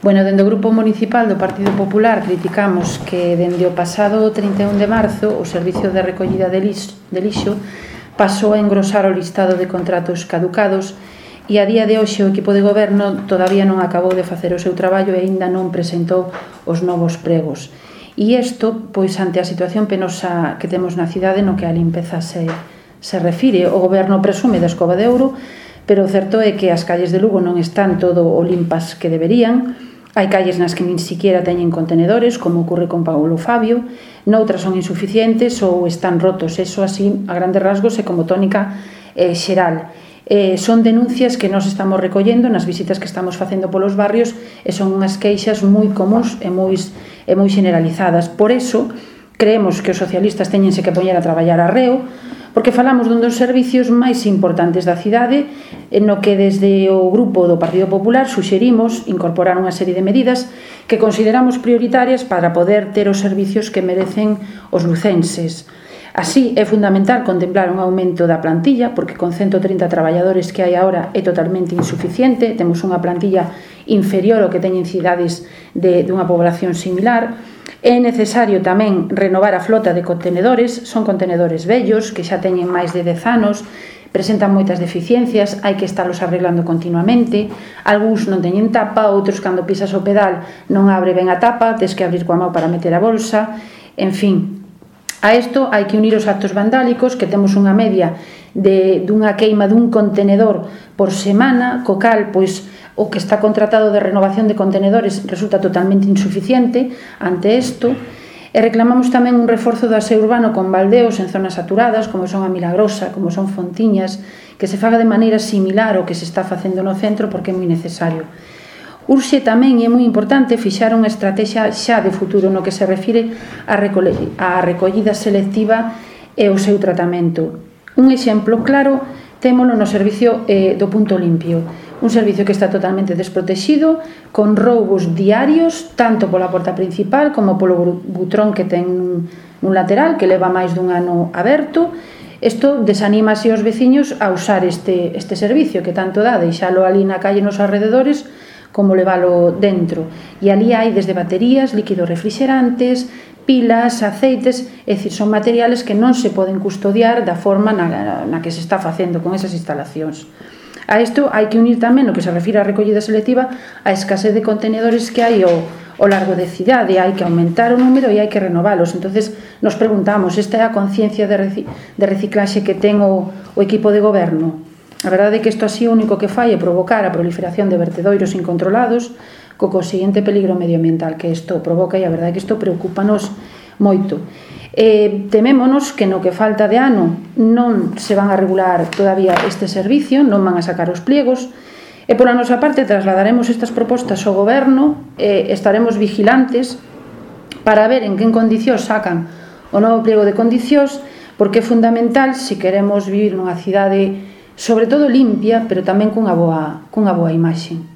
Bueno, dende o Grupo Municipal do Partido Popular criticamos que dende o pasado 31 de marzo o Servicio de Recollida de Lixo pasou a engrosar o listado de contratos caducados e a día de hoxe o equipo de goberno todavía non acabou de facer o seu traballo e aínda non presentou os novos pregos. E isto, pois, ante a situación penosa que temos na cidade no que a limpeza se refire, o goberno presume da escova de ouro, pero o certo é que as calles de Lugo non están todo o limpas que deberían. Hai calles nas que nin siquiera teñen contenedores, como ocorre con Paulo Fabio, noutras son insuficientes ou están rotos. Eso así, a grandes rasgos, e como tónica xeral. Son denuncias que nós estamos recollendo nas visitas que estamos facendo polos barrios e son unhas queixas moi comuns e moi generalizadas. Por eso, creemos que os socialistas teñense que poñer a traballar arreo, porque falamos dun dos servicios máis importantes da cidade, no que desde o Grupo do Partido Popular suxerimos incorporar unha serie de medidas que consideramos prioritarias para poder ter os servicios que merecen os lucenses. Así, é fundamental contemplar un aumento da plantilla, porque con 130 traballadores que hai agora é totalmente insuficiente, temos unha plantilla inferior ao que teñen cidades dunha población similar. É necesario tamén renovar a flota de contenedores, son contenedores vellos que xa teñen máis de 10 anos, presentan moitas deficiencias, hai que estarlos arreglando continuamente, algúns non teñen tapa, outros cando pisas o pedal non abre ben a tapa, tes que abrir coa mão para meter a bolsa, en fin. A isto hai que unir os actos vandálicos, que temos unha media dunha queima dun contenedor por semana, co cal, pois, o que está contratado de renovación de contenedores resulta totalmente insuficiente ante isto, e reclamamos tamén un reforzo do aseo urbano con baldeos en zonas saturadas, como son a Milagrosa, como son Fontiñas, que se faga de maneira similar ao que se está facendo no centro, porque é moi necesario. Urxe tamén, e é moi importante, fixar unha estrategia xa de futuro no que se refire á recollida selectiva e o seu tratamento. Un exemplo claro témolo no servicio do punto limpio, un servicio que está totalmente desprotegido, con roubos diarios, tanto pola porta principal como polo butrón que ten un lateral que leva máis dun ano aberto. Isto desanima así os veciños a usar este servicio que tanto dá, deixalo ali na calle nos arredores, como levalo dentro. E ali hai desde baterías, líquidos refrigerantes, pilas, aceites, é dicir, son materiales que non se poden custodiar da forma na que se está facendo con esas instalacións. A isto hai que unir tamén, no que se refire á recollida selectiva, a escasez de contenedores que hai ao largo de cidade, hai que aumentar o número e hai que renovalos. Entonces, nos preguntamos, esta é a conciencia de reciclaxe que ten o equipo de goberno? A verdade é que isto así o único que fai é provocar a proliferación de vertedoiros incontrolados co consiguiente peligro medioambiental que isto provoca, e a verdade é que isto preocúpanos moito. Temémonos que no que falta de ano non se van a regular todavía este servicio, non van a sacar os pliegos, e pola nosa parte trasladaremos estas propostas ao goberno e estaremos vigilantes para ver en que condicións sacan o novo pliego de condicións, porque é fundamental se queremos vivir nunha cidade sobre todo limpia, pero tamén cunha boa imaxe.